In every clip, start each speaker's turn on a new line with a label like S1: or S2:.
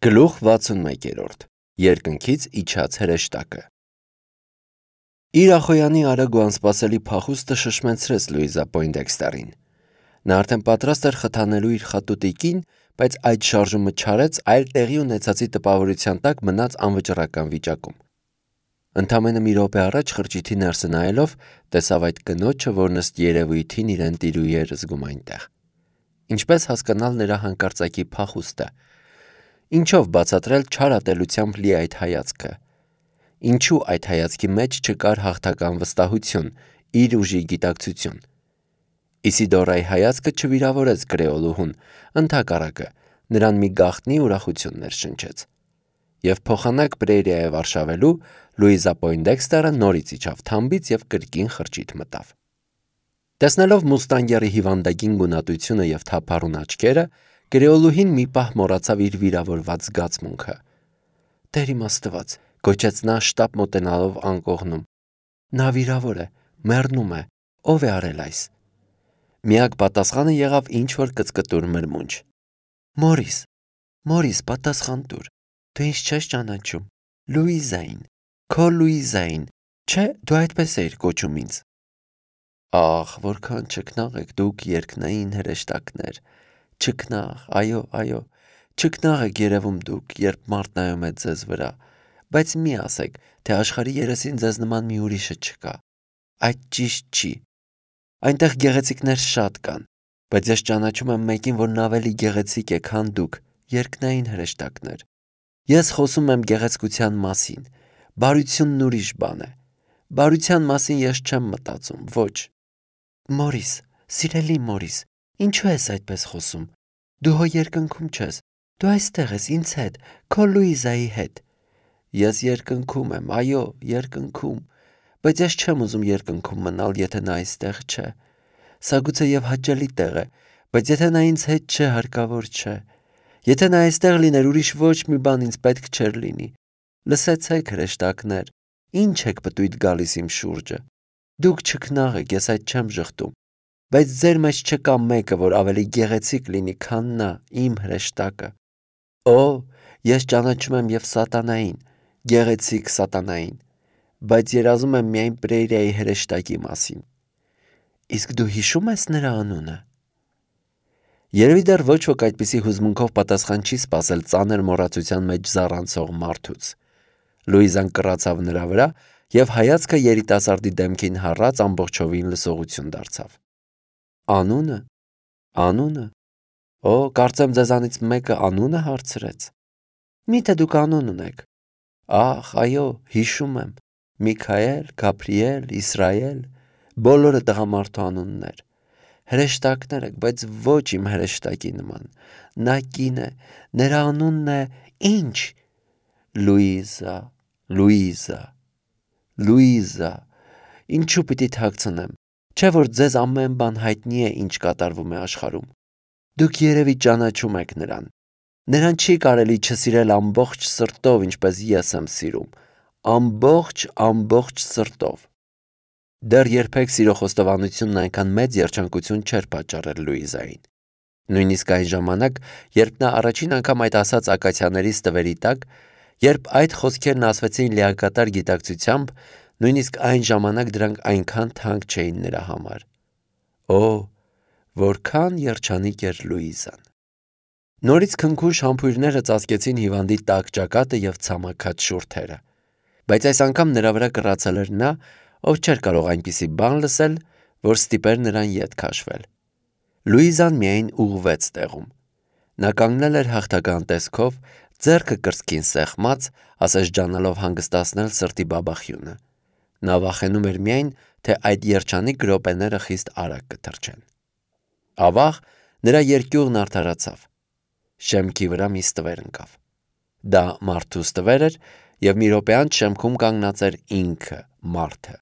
S1: Գլուխ 61 Երկնքից իջած հրեշտակը Իր ախոյանի արագ ու անսպասելի փախուստը շշմեցրեց Լուիզա Պոյնդեքստերին։ Նա արդեն պատրաստ էր խթանելու իր խատուտիկին, բայց այդ շարժումը չարեց, այլ տեղի ունեցածի տպավորության տակ մնաց անվճռական վիճակում։ Ընդամենը մի րոպե առաջ խրճիթի ներսը նայելով տեսավ այդ կնոջը, որ ըստ երևույթին իրեն տիրուհի էր զգում այնտեղ։ Ինչպես հասկանալ նրա հանկարծակի փախուստը։ Ինչով բացատրել չար ատելությամբ լի այդ հայացքը։ Ինչու այդ հայացքի մեջ չկար հաղթական վստահություն, իր ուժի գիտակցություն։ Իսիդորայի հայացքը չվիրավորեց կրեոլուհուն, ընդհակառակը, նրան մի գաղտնի ուրախություն ներշնչեց։ Եվ փոխանակ Պրերիայով արշավելու Լուիզա Պոյնդեքստերը նորից իջավ թամբից և կրկին խրճիթ մտավ։ Տեսնելով մուստանգերի հիվանդագին գունատությունը և թափառուն աչքերը, կրեոլուհին մի պահ մոռացավ իր վիրավորված զգացմունքը։ Տեր իմ Աստված, գոչեց նա շտապ մոտենալով անկողնում։ Նա վիրավոր է, մեռնում է, ով է արել այս։ Միակ պատասխանը եղավ ինչ-որ կծկտուր մրմունջ։ Մորիս, պատասխան տուր, դու ինձ չես ճանաչում, Լուիզային, քո Լուիզային, չէ, դու այդպես էիր կոչում ինձ։ Ախ, որքան չքնաղ եք դուք երկնային հրեշտակներ, չքնաղ, այո, չքնաղ եք երևում դուք, երբ մարդ նայում է ձեզ վրա, բայց մի ասեք, թե աշխարհի երեսին ձեզ նման մի ուրիշը չկա։ Այդ ճիշտ չի։ Այնտեղ գեղեցիկներ շատ կան, բայց ես ճանաչում եմ մեկին, որն ավելի գեղեցիկ է, քան դուք, երկնային հրեշտակներ։ Ես խոսում եմ գեղեցկության մասին, բարությունն ուրիշ բան է։ Բարության մասին ես չեմ մտածում, ոչ։ Մորիս, սիրելի Մորիս, ինչու ես այդպես խոսում։ Դու հո երկնքում չես, դու այստեղ ես ինձ հետ, քո Լուիզայի հետ։ Ես երկնքում եմ, այո, երկնքում, բայց ես չեմ ուզում երկնքում մնալ, եթե նա այստեղ չէ։ Սա գուցեև հաճելի տեղ է, բայց եթե նա ինձ հետ չէ, հարկավոր չէ։ Եթե նա այստեղ լիներ, ուրիշ ոչ մի բան ինձ պետք չէր լինի։ Լսեցեք, հրեշտակներ, ինչ եք պտույտ գալիս իմ շուրջը։ Դուք չքնաղ եք, ես այդ չեմ ժխտում, բայց ձեր մեջ չկա մեկը, որ ավելի գեղեցիկ լինի, քան նա, իմ հրեշտակը։ Օ, ես ճանաչում եմ և սատանային, գեղեցիկ սատանային, բայց երազում եմ միայն Պրերիայի հրեշտակի մասին։ Իսկ դու հիշում ես նրա անունը։ Երևի դեռ ոչ ոք այդպիսի հուզմունքով պատասխան չի սպասել ծանր մոռացության մեջ զառանցող մարդուց։ Լուիզան կռացավ նրա վրա և հայացքը երիտասարդի դեմքին հառած ամբողջովին լսողություն դարձավ։ Անունը։ Օ, կարծեմ ձեզանից մեկը անունը հարցրեց։ Միթե դուք անուն ունեք։ Ախ, այո, հիշում եմ։ Միքայել, Գաբրիել, Իսրայել, բոլորը տղամարդու անուններ։ Հրեշտակներ եք, բայց ոչ իմ հրեշտակի նման։ Նա կին է, նրա անունն է ինչ։ Լուիզա, ինչու պիտի թաքցնեմ, չէ որ ձեզ ամեն բան հայտնի է, ինչ կատարվում է աշխարհում։ Դուք երևի ճանաչում եք նրան։ Նրան չի կարելի չսիրել ամբողջ սրտով, ինչպես ես եմ սիրում, ամբողջ սրտով։ Դեռ երբեք սիրո խոստովանությունն այնքան մեծ երջանկություն չէր պատճառել Լուիզային։ Նույնիսկ այն ժամանակ, երբ նա առաջին անգամ այդ ասաց ակացիաներից տվերի տակ, երբ այդ խոսքերն ասվեցին լիակատար գիտակցությամբ, նույնիսկ այն ժամանակ դրանք այնքան թանկ չէին նրա համար։ Օ, որքան երջանիկ էր Լուիզան։ Նորից քնքուշ համբույրները ծածկեցին հիվանդի տաք ճակատը և ցամաքած շուրթերը։ Բայց այս անգամ նրա վրա կռացել էր նա, ով չէր կարող այնպիսի բան լսել, որ ստիպեր նրան ետ քաշվել։ Լուիզան միայն ուղղվեց տեղում։ Նա կանգնել էր հաղթական տեսքով, ձեռքը կրծքին սեղմած, ասես ջանալով հանգստացնել սրտի բաբախյունը։ Նա վախենում էր միայն, թե այդ երջանիկ րոպեները խիստ արագ կթռչեն։ Ավաղ նրա երկյուղն արդարացավ։ Շեմքի վրա մի ստվեր ընկավ։ Դա մարդու ստվեր էր, և մի րոպե անց շեմքում կանգնած էր ինքը, մարդը։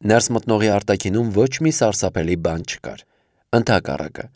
S1: Ներս մտնողի արտաքինում ոչ մի սարսափելի բան չկար։ Ընդհակառակը,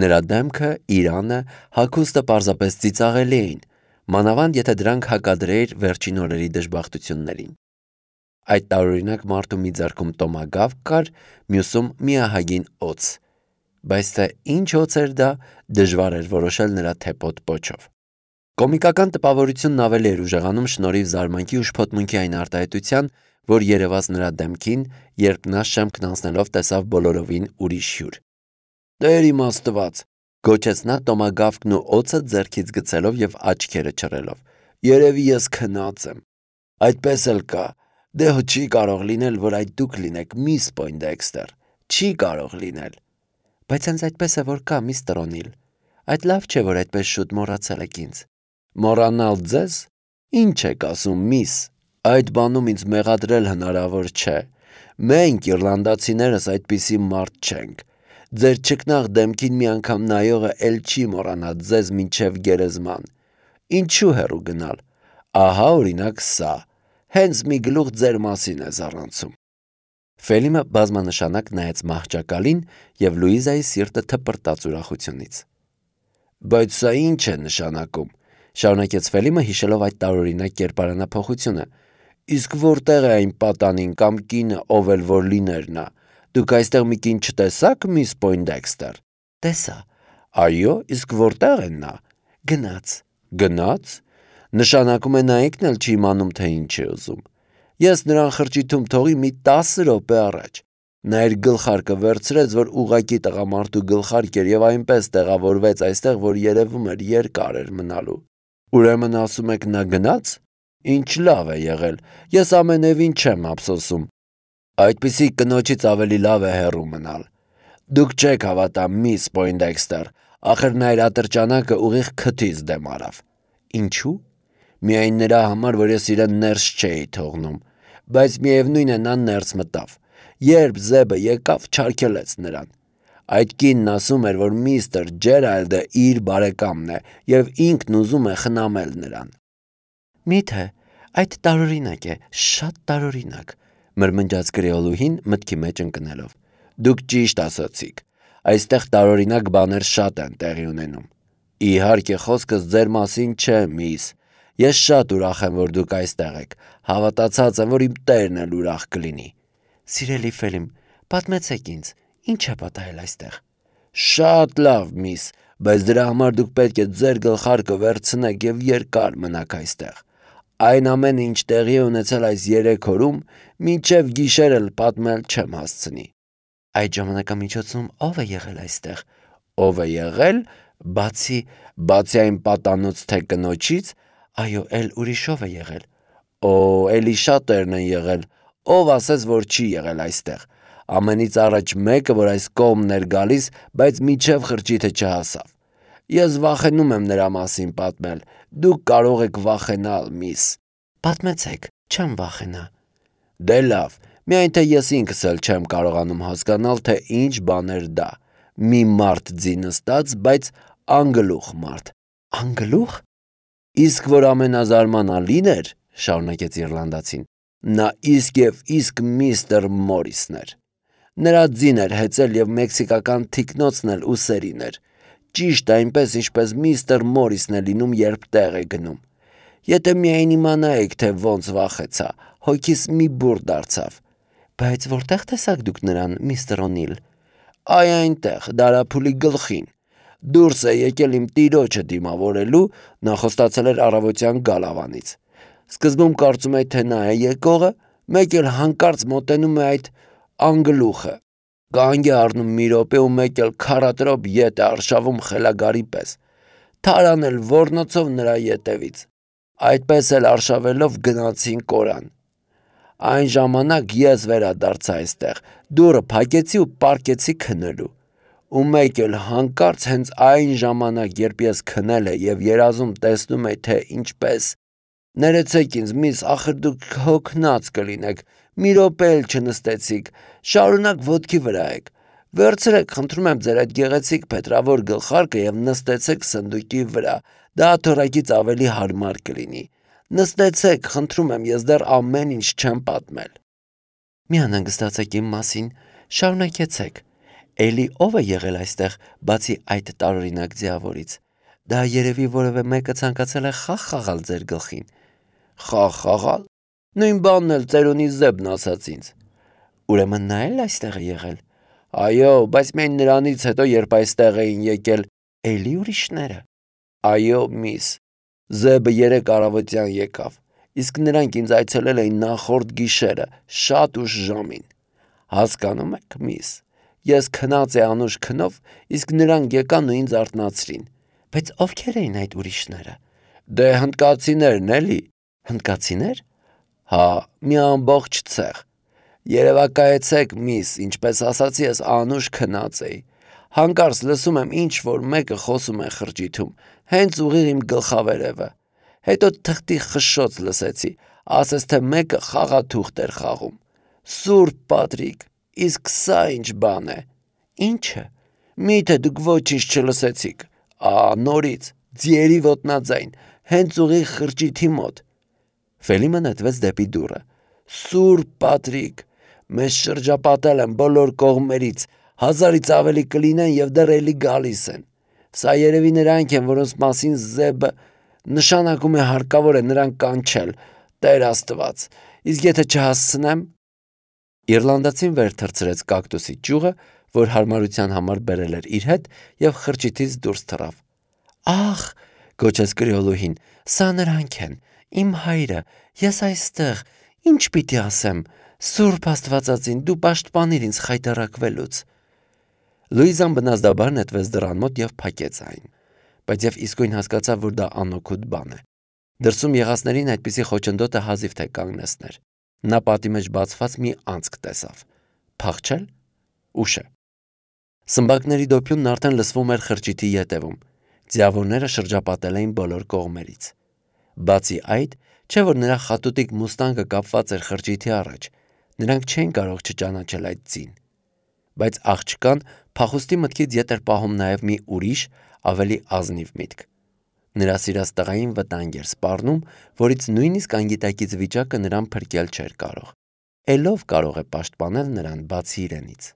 S1: նրա դեմքը, իրանը, հագուստը պարզապես ծիծաղելի էին, մանավանդ եթե դրանք հակադրեիր վերջին օրերի դժբախտություններին։ Այդ տարօրինակ մարդու մի ձեռքում տոմագավ կար, մյուսում մի ահագին օձ, բայց թե ինչ օձ էր դա, դժվար էր որոշել նրա թեպոտ պոչով։ Կոմիկական տպավորությունն ավելի էր ուժեղանում շնորհիվ զարմանքի ու շփոթմունքի այն արտահայտության, որ երևաց նրա դեմքին, երբ նա շեմքն անցնելով տեսավ բոլորովին ուրիշ հյուր։ «Տեր իմ Աստված», գոչեց նա տոմագավկն ու օձը ձեռքից գցելով եւ աչքերը չռելով։ «Երևի ես քնած եմ։ Այդպես էլ կա։ Դե չի կարող լինել, որ այդ դուք լինեք, միս Պոյնդեքստեր։ Չի կարող լինել»։ Բայց հենց այդպես է, որ կա, միստր Օնիլ։ Այդ լավ չէ, որ այդպես շուտ մոռացել եք ինձ։ Մոռանալ ձեզ։ Ինչ եք ասում, միս։ Այդ բանում ինձ մեղադրել հնարավոր չէ։ Մենք իռլանդացիներս այդպիսի մարդ չենք։ Ձեր չկնաղ դեմքին մի անգամ նայողը էլ չի մոռանա ձեզ մինչև գերեզման։ Ինչու հեռու գնալ։ Ահա օրինակ սա։ Հենց մի գլուխ ձեր մասին է զառանցում։ Ֆելիմը բազմանշանակ նայեց մահճակալին եւ Լուիզայի սիրտը թպրտաց ուրախությունից։ Բայց սա ինչ է նշանակում, շարունակեց Ֆելիմը հիշելով այդ տարօրինակ կերպարանափոխությունը։ Իսկ որտեղ է այն պատանին կամ կինը, ով էլ որ լիներ նա։ Դուք այստեղ մի կին չտեսաք, միս Պոյնդեքստեր։ Տեսա։ Այո, իսկ որտեղ է նա։ Գնաց։ Գնաց։ Նշանակում է նա ինքն էլ չի իմանում, թե ինչ է ուզում։ Ես նրան խրճիթում թողի մի 10 րոպե առաջ։ Նա իր գլխարկը վերցրեց, որ ուղակի տղամարդու գլխարկ էր եւ այնպես տեղավորվեց այստեղ, որ երևում էր երկար էր մնալու։ Ուրեմն ասում եք նա գնաց։ Ինչ լավ է եղել։ Ես ամենևին չեմ ափսոսում։ Այդպիսի կնոջից ավելի լավ է հեռու մնալ։ Դուք չեք հավատա, միս Պոյնդեքստեր, ախր նա իր ատրճանակը ուղիղ քթից դեմ արավ։ Ինչու։ Միայն նրա համար, որ ես իրեն ներս չէի թողնում, բայց միևնույն է նա ներս մտավ։ Երբ Զեբը եկավ, չարգելեց նրան։ Այդ կինն ասում էր, որ միստր Ջերալդը իր բարեկամն է եւ ինքն ուզում է խնամել նրան։ Միթե, այդ տարօրինակ է, շատ տարօրինակ, մրմնջաց կրեոլուհին մտքի մեջ ընկնելով։ Դուք ճիշտ ասացիք։ Այստեղ տարօրինակ բաներ շատ են տեղի ունենում։ Իհարկե խոսքս ձեր մասին չէ, միս։ Ես շատ ուրախ եմ, որ դուք այստեղ եք։ Հավատացած եմ, որ իմ տերն էլ ուրախ կլինի։ Սիրելի Ֆելիմ, պատմեցեք ինձ, ինչ է պատահել այստեղ։ Շատ լավ, միս, բայց դրա համար դուք պետք է ձեր գլխարկը վերցնեք եւ երկար մնաք այստեղ։ Այն ամենը, ինչ տեղի է ունեցել այս 3 օրում, մինչև գիշեր էլ պատմել չեմ հասցնի։ Այդ ժամանակամիջոցում ով է եղել այստեղ։ Ով է եղել, բացի այն պատանոց թե կնոջից, այո, էլ ուրիշով է եղել։ Օ, էլի շատերն են եղել։ Ով ասես, որ չի եղել այստեղ։ Ամենից առաջ մեկը, որ այս կողմն էր գալիս, բայց միջև խրճիթը չհասավ։ Ես վախենում եմ նրա մասին պատմել։ Դուք կարող եք վախենալ, միս։ Պատմեցեք, չեմ վախենա։ Դե լավ, միայն թե ես ինքս էլ չեմ կարողանում հասկանալ, թե ինչ բան էր դա։ Մի մարդ ձի նստած, բայց անգլուխ մարդ։ Անգլուխ։ Իսկ որ ամենազարմանալին էր, շարունակեց իռլանդացին, նա իսկ միստր Մորիսն էր։ Նրա ձին էր հեծել եւ մեքսիկական թիկնոցն էլ ուսերին էր։ Ճիշտ այնպես, ինչպես միստր Մորիսն է լինում, երբ տեղ է գնում։ Եթե միայն իմանայիք, թե ոնց վախեցա, հոգիս մի բուռ դարձավ։ Բայց որտեղ տեսաք դուք նրան, միստր Օնիլ։ Այ այնտեղ, դարափուլի գլխին։ Դուրս է եկել իմ տիրոջը դիմավորելու, նա խոստացել էր առավոտյան գալավանից։ Սկզբում կարծում էի, թե նա է եկողը, մեկ էլ հանկարծ մոտենում է այդ անգլուխը։ Կանգ է առնում մի րոպե ու մեկ էլ քարատրոպ ետ է արշավում խելագարի պես։ Թարան էլ ոռնոցով նրա ետևից։ Այդպես էլ արշավելով գնացին կորան։ Այն ժամանակ ես վերադարձա այստեղ, դուռը փակեցի ու պառկեցի քնելու։ Ու մեկ էլ հանկարծ հենց այն ժամանակ, երբ ես քնել եմ եւ երազում տեսնում եմ, թե ինչպես։ Ներեցեք ինձ, միս, ախր դուք հոգնած կլինեք, մի րոպե էլ չնստեցիք, շարունակ ոտքի վրա եք։ Վերցրեք, խնդրում եմ ձեր այդ գեղեցիկ փետրավոր գլխարկը եւ նստեցեք սնդուկի վրա, դա թորակից ավելի հարմար կլինի։ Նստեցեք, խնդրում եմ, ես դեռ ամեն ինչ չեմ պատմել։ Մի անհանգստացեք իմ մասին, շարունակեցեք։ Էլի ով է եղել այստեղ, բացի այդ տարօրինակ ձիավորից։ Դա երևի որևէ մեկը ցանկացել է խաղ խաղալ ձեր գլխին։ Խաղ խաղալ։ Նույն բանն էլ ծերունի Զեբն ասաց ինձ։ Ուրեմն նա էլ այստեղ է եղել։ Այո, բայց միայն նրանից հետո, երբ այստեղ էին եկել էլի ուրիշները։ Այո, միս։ Զեբը 3 առավոտյան եկավ, իսկ նրանք ինձ այցելել էին նախորդ գիշերը, շատ ուշ ժամին։ Հասկանում եք, միս, ես քնած է անուշ քնով, իսկ նրանք եկան ու ինձ արթնացրին։ Բայց ովքեր էին այդ ուրիշները։ Դե հնդկացիներն էլի։ Հնդկացիներ։ Հա, մի ամբողջ ցեղ։ Երևակայեցեք, միս, ինչպես ասացի, ես անուշ քնած էի։ Հանկարծ լսում եմ ինչ-որ մեկը խոսում է խրճիթում, հենց ուղիղ իմ գլխավերևը։ Հետո թղթի խշշոց լսեցի, ասես թե մեկը խաղաթուղթ էր խաղում։ Սուրբ Պատրիկ, իսկ սա ինչ բան է։ Ինչը։ Միթե դուք ոչինչ չլսեցիք։ Նորից, ձիերի ոտնաձայն, հենց ուղիղ խրճիթի մոտ։ Ֆելիմը նետվեց դեպի դուռը։ Սուրբ Պատրիկ, մեզ շրջապատել են բոլոր կողմերից, 1000-ից ավելի կլինեն եւ դեռ էլի գալիս են։ Սա երևի նրանք են, որոնց մասին Զեբը նշանակում է հարկավոր է նրան կանչել, Տեր Աստված, իսկ եթե չհասցնեմ։ Իռլանդացին վեր թռցրեց կակտուսի ճյուղը, որ հարմարության համար բերել էր իր հետ եւ խրճիթից դուրս թռավ։ Ախ, գոչեց կրիոլուհին, սա նրանք են, իմ հայրը, ես այստեղ, ինչ պիտի ասեմ, Սուրբ Աստվածածին, դու պաշտպանիր ինձ խայտառակվելուց։ Լուիզան բնազդաբար նետվեց դռան մոտ եւ փակեց այն, բայց եւ իսկույն հասկացավ, որ դա անօգուտ բան է։ Դրսում եղածներին այդպիսի խոչընդոտը հազիվ թե կանգնեցներ։ Նա պատի մեջ բացված մի անցք տեսավ։ Փախչել։ Ուշ է։ Սմբակների դոփյունն արդեն լսվում էր խրճիթի ետևում։ Ձիավորները շրջապատել էին բոլոր կողմերից։ Բացի այդ, չէ որ նրա խատուտիկ մուստանգը կապված էր խրճիթի առաջ, նրանք չէին կարող չճանաչել այդ ձին։ Բայց աղջկան փախուստի մտքից ետ էր պահում նաև մի ուրիշ, ավելի ազնիվ միտք։ Նրա սիրած տղային վտանգ էր սպառնում, որից նույնիսկ անգիտակից վիճակը նրան փրկել չէր կարող։ Էլով կարող է պաշտպանել նրան բացի իրենից։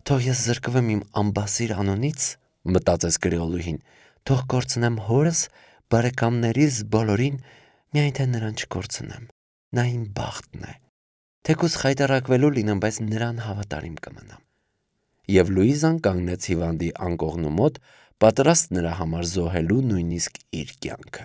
S1: Թող ես զրկվեմ իմ ամբասիր անունից, մտածեց կրիոլուհին, թող կորցնեմ հորս, բարեկամներիս բոլորին, միայն թե նրան չկորցնեմ։ Նա իմ բախտն է։ Թեկուզ խայտառակվելու լինեմ, բայց նրան հավատարիմ կմնամ։ Եվ Լուիզան կանգնեց հիվանդի անկողնու մոտ, պատրաստ նրա համար զոհելու նույնիսկ իր կյանքը։